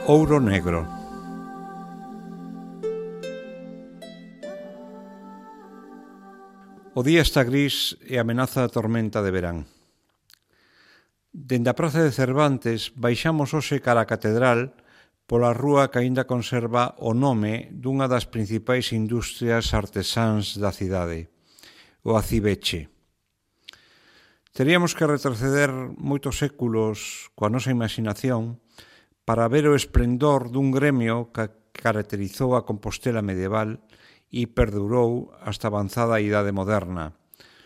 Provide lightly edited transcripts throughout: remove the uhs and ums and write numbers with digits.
Ouro negro. O día está gris e amenaza a tormenta de verán. Dende a praza de Cervantes baixamos hoxe cara a catedral pola rúa que aínda conserva o nome dunha das principais industrias artesáns da cidade, o Acibeche. Teríamos que retroceder moitos séculos coa nosa imaginación para ver o esplendor dun gremio que caracterizou a Compostela medieval e perdurou hasta avanzada a idade moderna,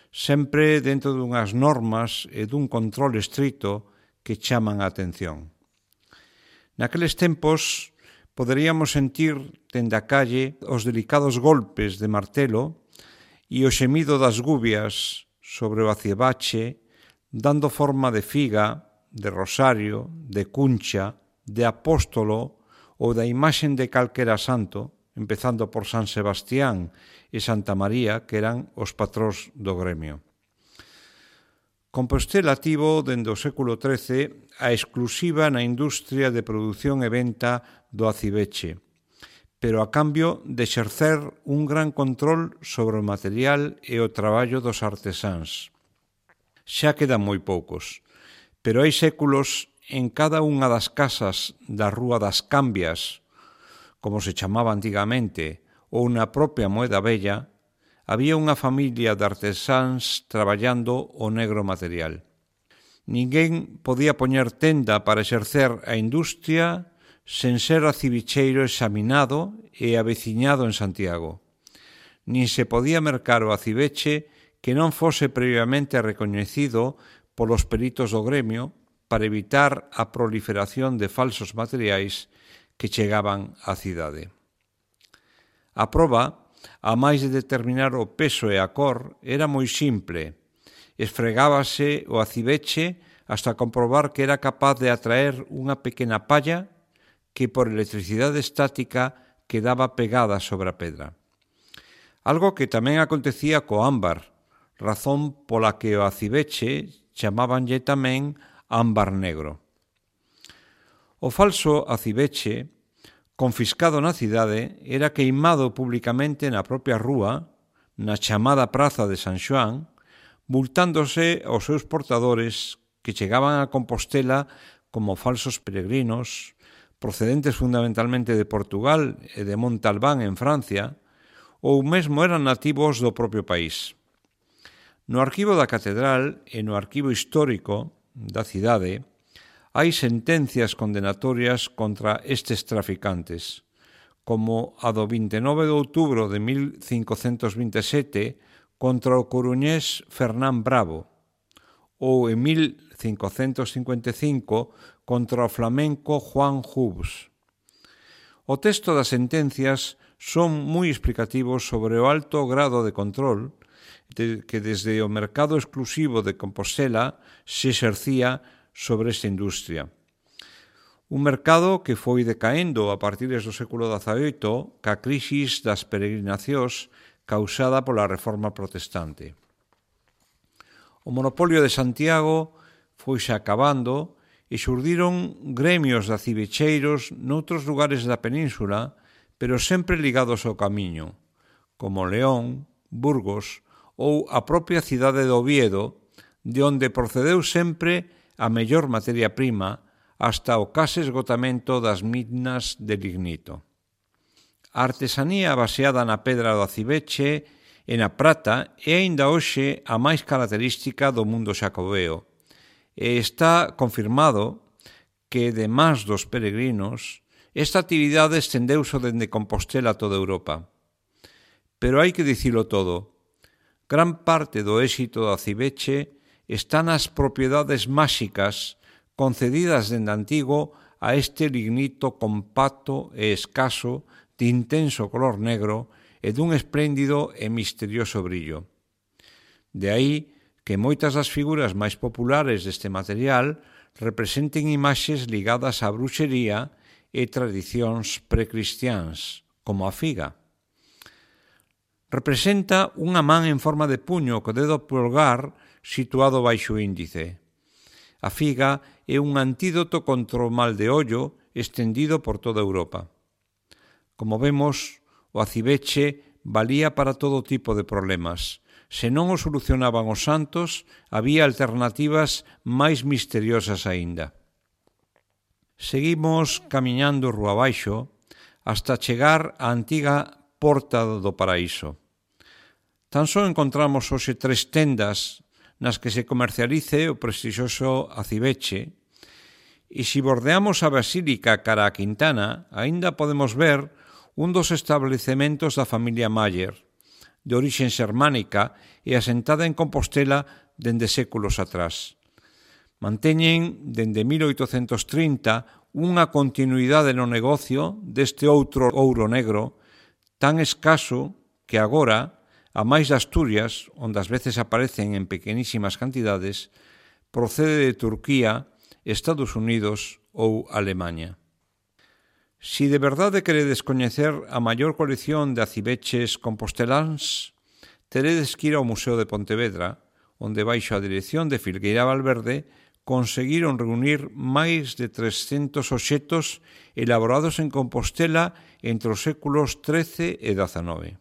sempre dentro dunhas normas e dun control estrito que chaman a atención. Naqueles tempos poderíamos sentir dende a calle os delicados golpes de martelo e o xemido das gubias sobre o acibache, dando forma de figa, de rosario, de cuncha, de apóstolo ou da imaxen de calquera santo, empezando por San Sebastián e Santa María, que eran os patróns do gremio. Compostela tivo, dende o século XIII, a exclusiva na industria de produción e venta do acibeche, pero a cambio de exercer un gran control sobre o material e o traballo dos artesáns. Xa quedan moi poucos, pero hai séculos en cada unha das casas da Rúa das Cambias, como se chamaba antigamente, ou na propia Moeda Vella, había unha familia de artesáns traballando o negro material. Ninguén podía poñer tenda para exercer a industria sen ser acibicheiro examinado e aveciñado en Santiago. Nin se podía mercar o acibeche que non fose previamente recoñecido polos peritos do gremio para evitar a proliferación de falsos materiais que chegaban á cidade. A proba, a máis de determinar o peso e a cor, era moi simple. Esfregábase o acibeche hasta comprobar que era capaz de atraer unha pequena palla que por electricidade estática quedaba pegada sobre a pedra. Algo que tamén acontecía co ámbar, razón pola que o acibeche chamábanlle tamén ámbar negro. O falso acibeche, confiscado na cidade, era queimado publicamente na propia rúa, na chamada Praza de San Xoán, multándose aos seus portadores que chegaban a Compostela como falsos peregrinos, procedentes fundamentalmente de Portugal e de Montalbán en Francia, ou mesmo eran nativos do propio país. No arquivo da catedral e no arquivo histórico da cidade hai sentencias condenatorias contra estes traficantes, como a do 29 de outubro de 1527 contra o coruñés Fernán Bravo, ou en 1555 contra o flamenco Juan Jubs. O texto das sentencias son moi explicativos sobre o alto grado de control que desde o mercado exclusivo de Compostela se exercía sobre esta industria. Un mercado que foi decaendo a partir do século XVIII ca crisis das peregrinacións causada pola Reforma Protestante. O monopolio de Santiago foise acabando e xurdiron gremios de acibecheiros noutros lugares da península, pero sempre ligados ao camiño, como León, Burgos ou a propia cidade de Oviedo, de onde procedeu sempre a mellor materia prima hasta o case esgotamento das minas de lignito. A artesanía baseada na pedra do acibeche e na prata é aínda hoxe a máis característica do mundo xacobeo e está confirmado que, demais dos peregrinos, esta actividade estendeuse dende Compostela a toda Europa. Pero hai que dicilo todo. Gran parte do éxito do acibeche está nas propiedades máxicas concedidas dende antigo a este lignito compacto e escaso de intenso color negro e dun espléndido e misterioso brillo. De aí que moitas das figuras máis populares deste material representen imaxes ligadas á bruxería e tradicións precristiáns, como a figa. Representa unha man en forma de puño co dedo pulgar situado baixo o índice. A figa é un antídoto contra o mal de ollo estendido por toda Europa. Como vemos, o aciveche valía para todo tipo de problemas. Se non o solucionaban os santos, había alternativas máis misteriosas aínda. Seguimos camiñando rúa abaixo hasta chegar á antiga Porta do Paraíso. Tan só encontramos hoxe 3 tendas nas que se comercialice o prestixioso aciveche, e se bordeamos a Basílica cara a Quintana, aínda podemos ver un dos establecementos da familia Mayer, de orixe xermánica e asentada en Compostela dende séculos atrás. Manteñen, dende 1830, unha continuidade no negocio deste outro ouro negro tan escaso que agora, a máis de Asturias, onde ás veces aparecen en pequenísimas cantidades, procede de Turquía, Estados Unidos ou Alemaña. Si de verdade queredes coñecer a maior colección de aciveches composteláns, teredes que ir ao Museo de Pontevedra, onde baixo a dirección de Filgueira Valverde conseguiron reunir máis de 300 obxetos elaborados en Compostela entre os séculos XIII e XIX.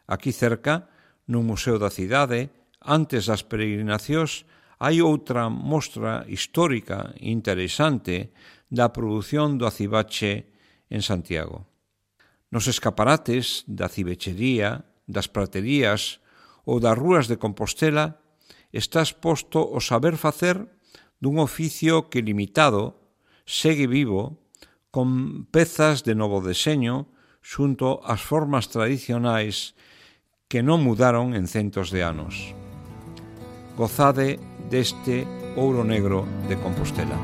Aquí cerca, no Museo da Cidade, antes das peregrinacións, hai outra mostra histórica interesante da produción do acivache en Santiago. Nos escaparates da acivechería, das praterías ou das rúas de Compostela está exposto o saber facer dun oficio que limitado segue vivo con pezas de novo deseño xunto ás formas tradicionais que non mudaron en centos de anos. Gozade deste ouro negro de Compostela.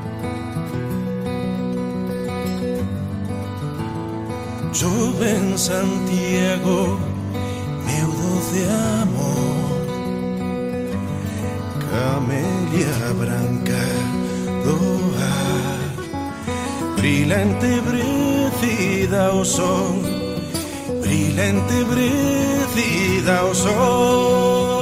Chove en Santiago, meu doce amor, camelia branca do ar, brilante brecida ao sol, brilante brecida ao sol.